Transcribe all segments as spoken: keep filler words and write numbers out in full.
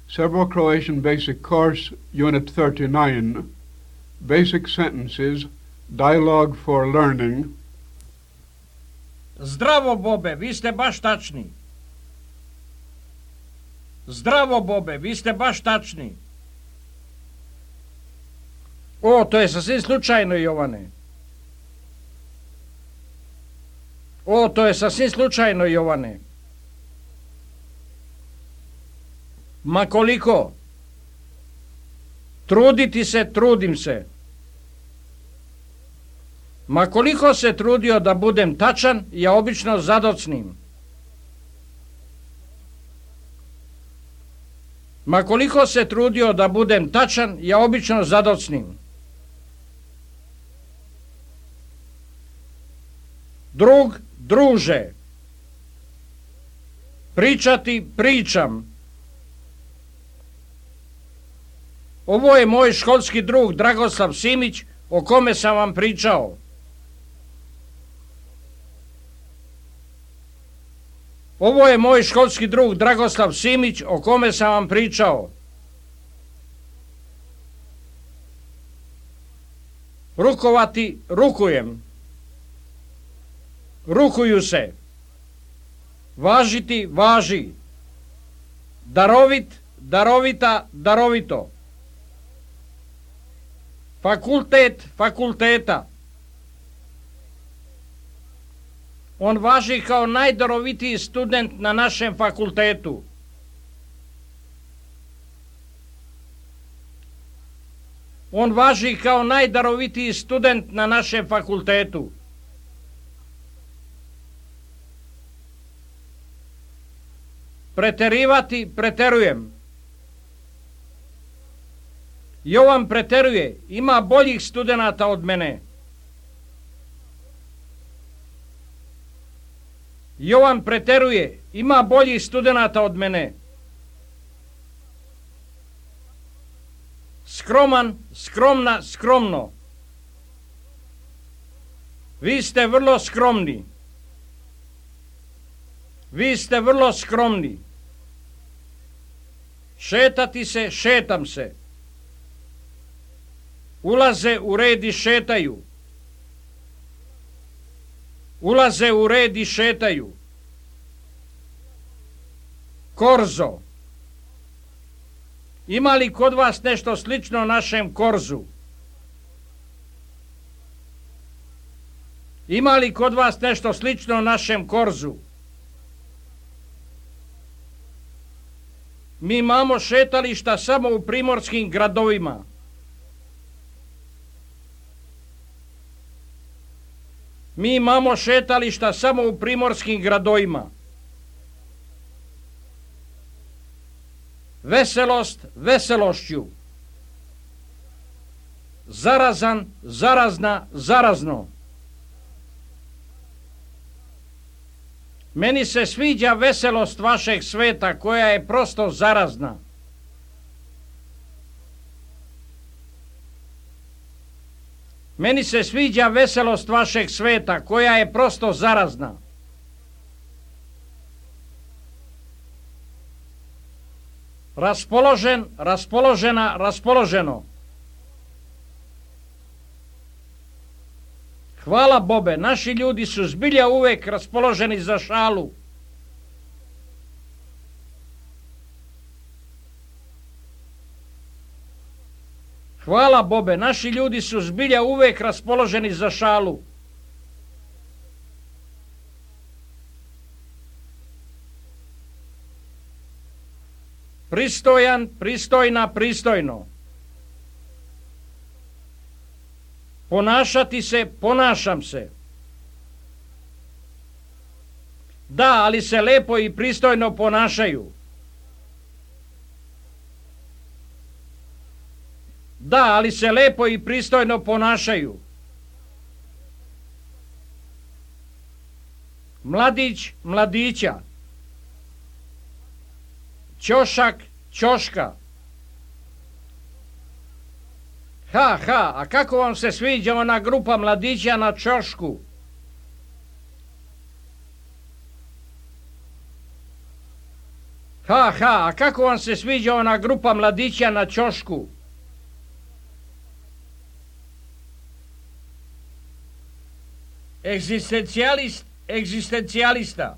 Serbo-Croatian Basic Course, Unit thirty-nine, Basic Sentences, Dialogue for Learning. Zdravo, Bobe, vi ste baš tačni. Zdravo, Bobe, vi ste baš tačni. O, to je sasvim slučajno, Jovane. O, to je sasvim slučajno, Jovane. Ma koliko? Truditi se, trudim se. Ma koliko se trudio da budem tačan, ja obično zadocnim. Ma koliko se trudio da budem tačan, ja obično zadocnim. Drug, druže. Pričati, pričam. Ovo je moj školski drug Dragoslav Simić, o kome sam vam pričao. Ovo je moj školski drug Dragoslav Simić, o kome sam vam pričao. Rukovati, rukujem. Rukuju se. Važiti, važi. Darovit, darovita, darovito. Fakultet, fakulteta. On važi kao najdarovitiji student na našem fakultetu. On važi kao najdarovitiji student na našem fakultetu. Preterivati, preterujem. Jovan preteruje, ima boljih studenata od mene. Jovan preteruje, ima boljih studenata od mene. Skroman, skromna, skromno. Vi ste vrlo skromni. Vi ste vrlo skromni. Šetati se, šetam se. Ulaze u red i šetaju. Ulaze u red i šetaju. Korzo. Ima li kod vas nešto slično našem korzu? Ima li kod vas nešto slično našem korzu? Mi imamo šetališta samo u primorskim gradovima. Mi imamo šetališta samo u primorskim gradovima. Veselost, veselošću. Zarazan, zarazna, zarazno. Meni se sviđa veselost vašeg sveta koja je prosto zarazna. Meni se sviđa veselost vašeg sveta koja je prosto zarazna. Raspoložen, raspoložena, raspoloženo. Hvala, Bobe, naši ljudi su zbilja uvek raspoloženi za šalu. Hvala, Bobe, naši ljudi su zbilja uvek raspoloženi za šalu. Pristojan, pristojna, pristojno. Ponašati se, ponašam se. Da, ali se lepo i pristojno ponašaju. Da, ali se lepo i pristojno ponašaju. Mladić, mladića. Ćošak, ćoška. Ha, ha, a kako vam se sviđa ona grupa mladića na ćošku? Ha, ha, a kako vam se sviđa ona grupa mladića na ćošku? Egzistencijalist, egzistencijalista.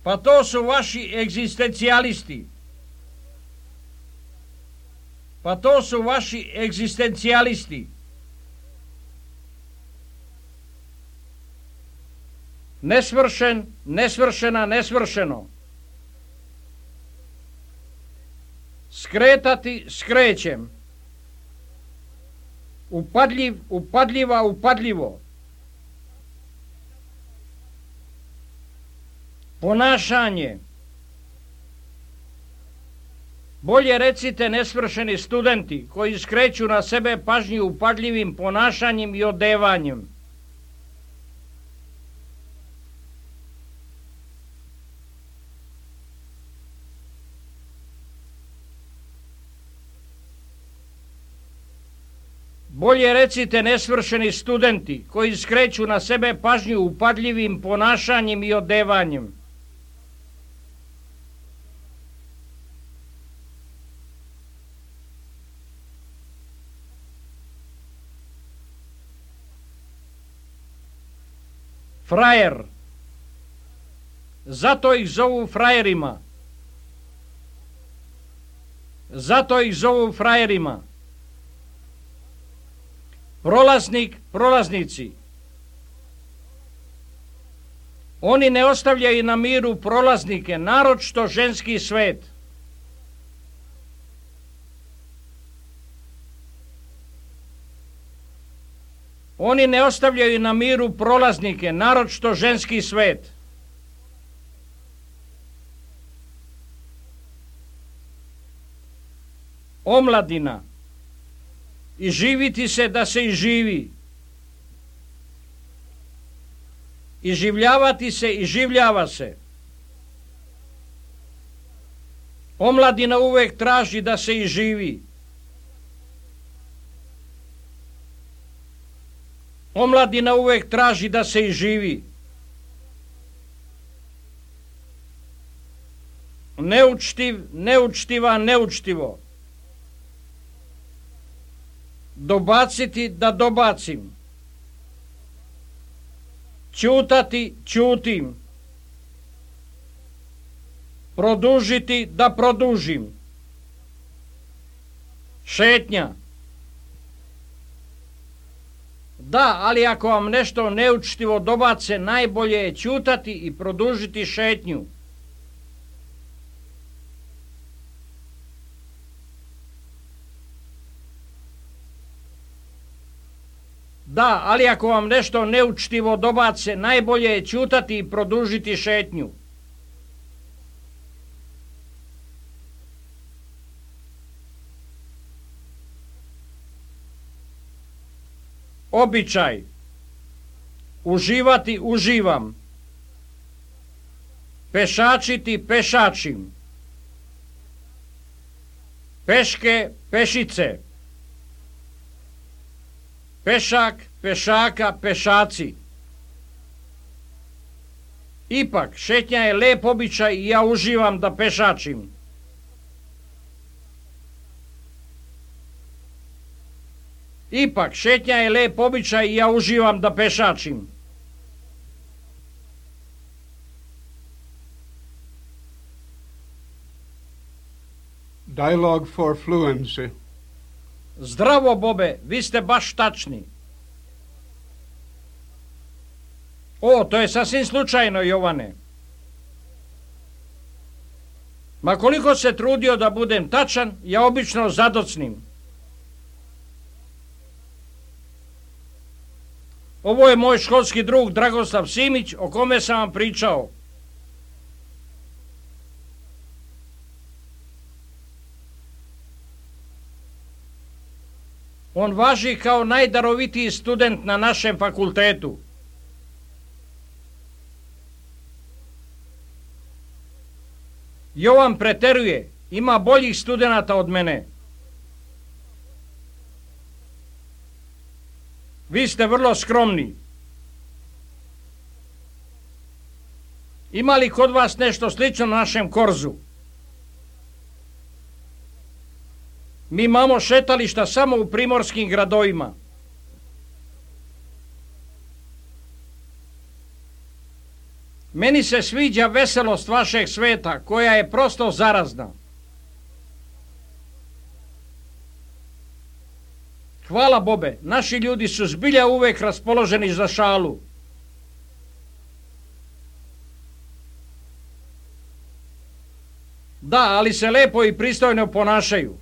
Pa to su vaši egzistencijalisti. Pa to su vaši egzistencijalisti. Nesvršen, nesvršena, nesvršeno. Skretati, skrećem. Upadljiv, upadljiva, upadljivo. Ponašanje. Bolje recite nesvršeni studenti koji skreću na sebe pažnju upadljivim ponašanjem i odevanjem. Bolje recite nesvršeni studenti koji skreću na sebe pažnju upadljivim ponašanjem i odevanjem. Frajer. Zato ih zovu frajerima. Zato ih zovu frajerima. Prolaznik, prolaznici. Oni ne ostavljaju na miru prolaznike, naročito ženski svet. Oni ne ostavljaju na miru prolaznike, naročito ženski svet. Omladina. I živiti se da se i živi. I življavati se i življava se. Omladina uvek traži da se i živi. Omladina uvek traži da se i živi. Neučtiv, neučtiva, neučtivo. Dobaciti da dobacim. Ćutati, ćutim. Produžiti da produžim. Šetnja. Da, ali ako vam nešto neučtivo dobace, najbolje je ćutati i produžiti šetnju. Da, ali ako vam nešto neučtivo dobace, najbolje je ćutati i produžiti šetnju. Običaj. Uživati, uživam. Pešačiti, pešačim. Peške, pešice. Pešak, pešaka, pešaci. Ipak, šetnja je lep običaj i ja uživam da pešačim. Ipak, šetnja je lep običaj i ja uživam da pešačim. Dialogue for fluency. Zdravo, Bobe, vi ste baš tačni. O, to je sasvim slučajno, Jovane. Ma koliko se trudio da budem tačan, ja obično zadocnim. Ovo je moj školski drug Dragoslav Simić, o kome sam vam pričao. On važi kao najdarovitiji student na našem fakultetu. Jovan preteruje, ima boljih studenata od mene. Vi ste vrlo skromni. Ima li kod vas nešto slično našem korzu? Mi imamo šetališta samo u primorskim gradovima. Meni se sviđa veselost vašeg sveta, koja je prosto zarazna. Hvala Bobe, naši ljudi su zbilja uvek raspoloženi za šalu. Da, ali se lepo i pristojno ponašaju.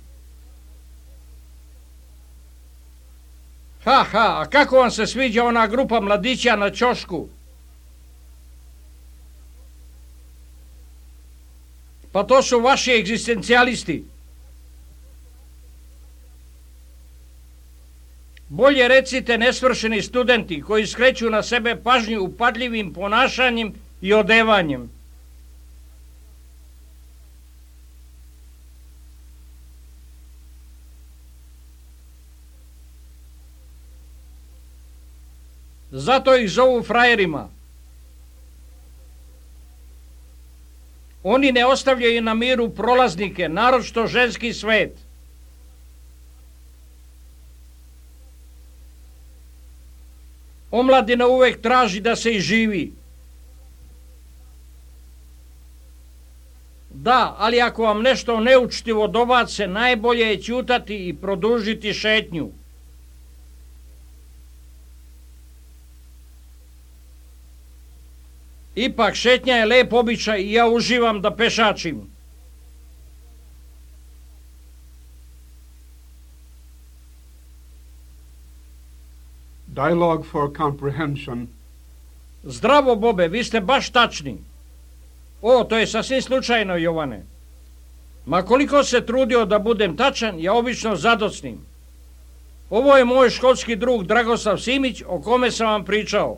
Ha, ha, a kako vam se sviđa ona grupa mladića na ćošku? Pa to su vaši egzistencijalisti. Bolje recite nesvršeni studenti koji skreću na sebe pažnju upadljivim ponašanjem i odevanjem. Zato ih zovu frajerima. Oni ne ostavljaju na miru prolaznike, naročito ženski svet. Omladina uvek traži da se i živi. Da, ali ako vam nešto neučtivo dobace, najbolje je ćutati i produžiti šetnju. Ipak šetnja je lep običaj i ja uživam da pešačim. Dialogue for comprehension. Zdravo, Bobe, vi ste baš tačni. O, to je sasvim slučajno, Jovane. Ma koliko se trudio da budem tačan, ja obično zadocnim. Ovo je moj školski drug Dragoslav Simić, o kome sam vam pričao.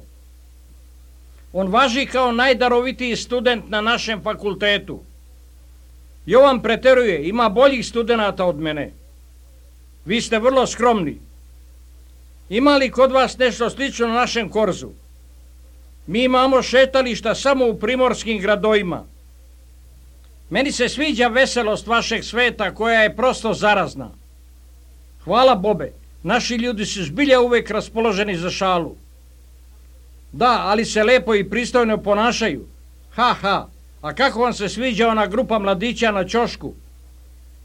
On važi kao najdarovitiji student na našem fakultetu. Jovan preteruje, ima boljih studenata od mene. Vi ste vrlo skromni. Ima li kod vas nešto slično na našem korzu? Mi imamo šetališta samo u primorskim gradovima. Meni se sviđa veselost vašeg sveta, koja je prosto zarazna. Hvala Bobe, naši ljudi su zbilja uvek raspoloženi za šalu. Da, ali se lepo i pristojno ponašaju. Ha, ha, a kako vam se sviđa ona grupa mladića na ćošku?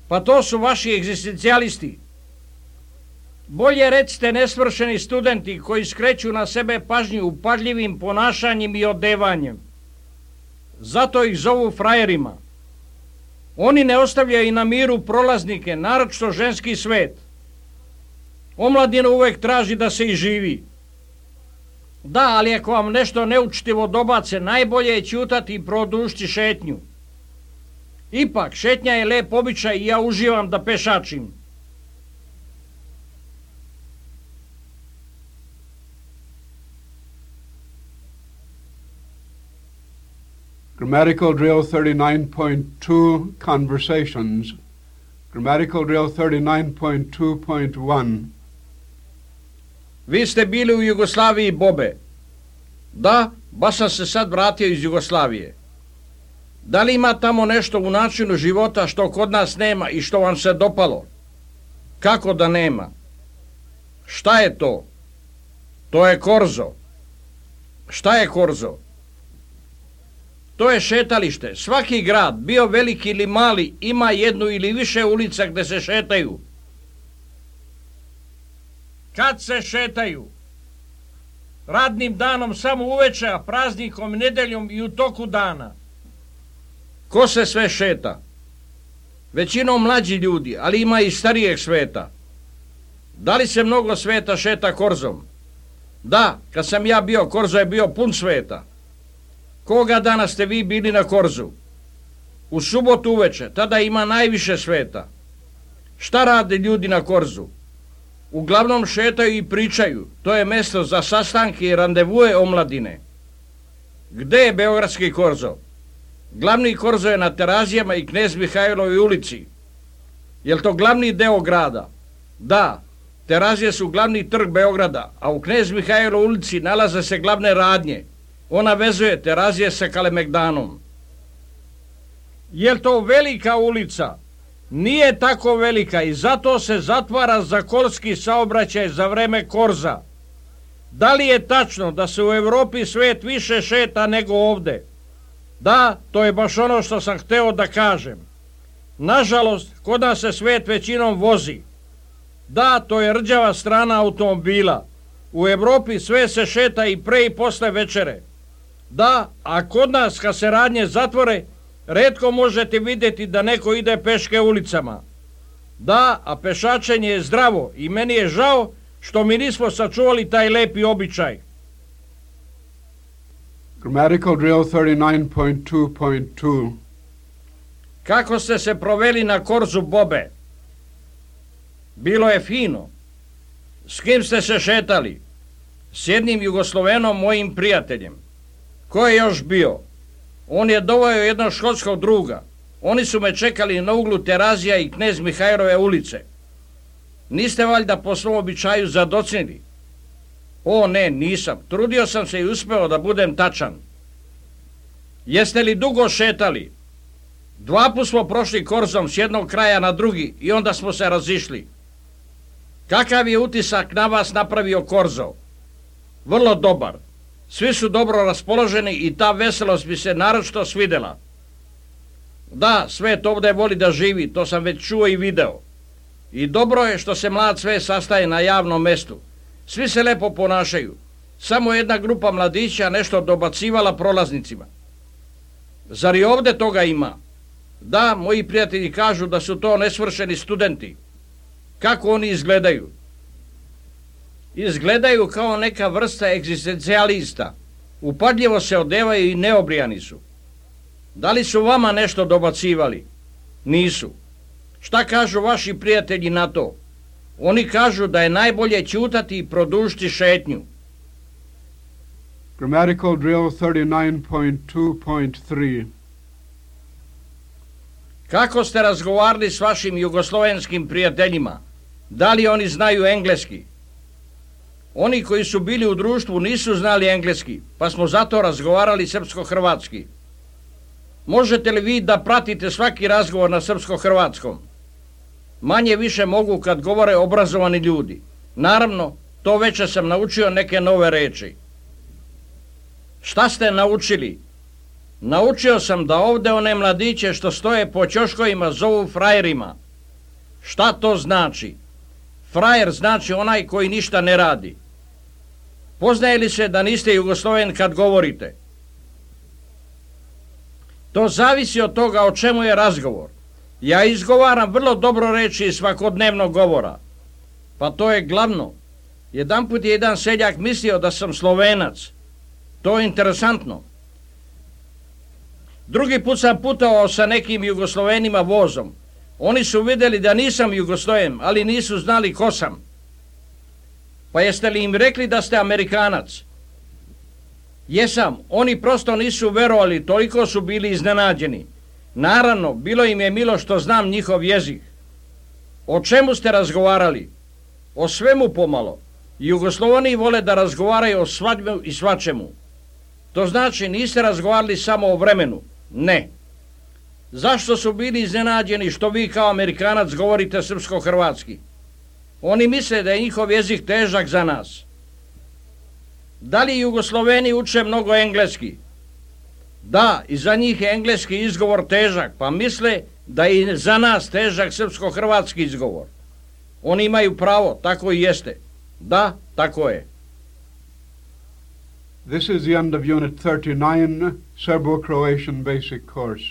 Pa to su vaši egzistencijalisti. Bolje recite nesvršeni studenti koji skreću na sebe pažnju upadljivim ponašanjem i odevanjem. Zato ih zovu frajerima. Oni ne ostavljaju na miru prolaznike, naročito ženski svet. Omladina uvek traži da se i živi. Da, ali ako vam nešto neučtivo dobace, najbolje je ćutati i produžiti šetnju. Ipak, šetnja je lep običaj i ja uživam da pešačim. Grammatical drill thirty-nine point two, conversations. Grammatical drill thirty-nine point two point one. Vi ste bili u Jugoslaviji, Bobe. Da, baš sam se sad vratio iz Jugoslavije. Da li ima tamo nešto u načinu života što kod nas nema i što vam se dopalo? Kako da nema? Šta je to? To je korzo. Šta je korzo? To je šetalište. Svaki grad, bio veliki ili mali, ima jednu ili više ulica gde se šetaju. Kad se šetaju? Radnim danom samo uveče, a praznikom, nedeljom i u toku dana. Ko se sve šeta? Većinom mlađi ljudi, ali ima i starijeg sveta. Da li se mnogo sveta šeta korzom? Da, kad sam ja bio, korzo je bio pun sveta. Koga dana ste vi bili na korzu? U subotu uveče, tada ima najviše sveta. Šta rade ljudi na korzu? Uglavnom šetaju i pričaju. To je mesto za sastanke i randevue omladine. Gde je beogradski korzo? Glavni korzo je na Terazijama i Knez Mihajlovoj ulici. Je li to glavni deo grada? Da, Terazije su glavni trg Beograda, a u Knez Mihajlovoj ulici nalaze se glavne radnje. Ona vezuje Terazije sa Kalemegdanom. Je to velika ulica? Nije tako velika i zato se zatvara za kolski saobraćaj za vreme korza. Da li je tačno da se u Europi svet više šeta nego ovde? Da, to je baš ono što sam hteo da kažem. Nažalost, kod nas se svet većinom vozi. Da, to je rđava strana automobila. U Europi sve se šeta i pre i posle večere. Da, a kod nas kad se radnje zatvore, retko možete vidjeti da neko ide peške ulicama. Da, a pešačenje je zdravo i meni je žao što mi nismo sačuvali taj lepi običaj. Grammatical drill thirty-nine point two point two. Kako ste se proveli na korzu, Bobe? Bilo je fino. S kim ste se šetali? S jednim Jugoslovenom, mojim prijateljem. Ko je još bio? On je doveo jednog škotskog druga. Oni su me čekali na uglu Terazija i Knez Mihajlove ulice. Niste valjda po svom običaju zadocnili? O ne, nisam. Trudio sam se i uspeo da budem tačan. Jeste li dugo šetali? Dva put smo prošli korzom s jednog kraja na drugi i onda smo se razišli. Kakav je utisak na vas napravio korzo? Vrlo dobar. Svi su dobro raspoloženi i ta veselost bi se naročito svidela. Da, svet ovdje voli da živi, to sam već čuo i video. I dobro je što se mlad svet sastaje na javnom mestu. Svi se lepo ponašaju. Samo jedna grupa mladića nešto dobacivala prolaznicima. Zar i ovdje toga ima? Da, moji prijatelji kažu da su to nesvršeni studenti. Kako oni izgledaju? Izgledaju kao neka vrsta egzistencijalista. Upadljivo se odevaju i neobrijani su. Da li su vama nešto dobacivali? Nisu. Šta kažu vaši prijatelji na to? Oni kažu da je najbolje ćutati i produžiti šetnju. Grammatical drill thirty-nine point two point three. Kako ste razgovarali s vašim jugoslovenskim prijateljima? Da li oni znaju engleski? Oni koji su bili u društvu nisu znali engleski, pa smo zato razgovarali srpsko-hrvatski. Možete li vi da pratite svaki razgovor na srpsko-hrvatskom? Manje više mogu kad govore obrazovani ljudi. Naravno, to već sam naučio neke nove reči. Šta ste naučili? Naučio sam da ovdje one mladiće što stoje po ćoškovima zovu frajerima. Šta to znači? Frajer znači onaj koji ništa ne radi. Poznaje li se da niste Jugosloven kad govorite? To zavisi od toga o čemu je razgovor. Ja izgovaram vrlo dobro reči iz svakodnevnog govora. Pa to je glavno. Jedanput je jedan seljak mislio da sam Slovenac. To je interesantno. Drugi put sam putovao sa nekim Jugoslovenima vozom. Oni su vidjeli da nisam Jugosloven, ali nisu znali ko sam. Pa jeste li im rekli da ste Amerikanac? Jesam, oni prosto nisu verovali, toliko su bili iznenađeni. Naravno, bilo im je milo što znam njihov jezik. O čemu ste razgovarali? O svemu pomalo. Jugosloveni vole da razgovaraju o svadbu i svačemu. To znači niste razgovarali samo o vremenu. Ne. Zašto su bili iznenađeni što vi kao Amerikanac govorite srpsko-hrvatski? Oni misle da je njihov jezik težak za nas. Da li Jugosloveni uče mnogo engleski? Da, i za njih je engleski izgovor težak, pa misle da je i za nas težak srpsko-hrvatski izgovor. Oni imaju pravo, tako i jeste. Da, tako je. This is the end of Unit thirty-nine, Serbo-Croatian Basic Course.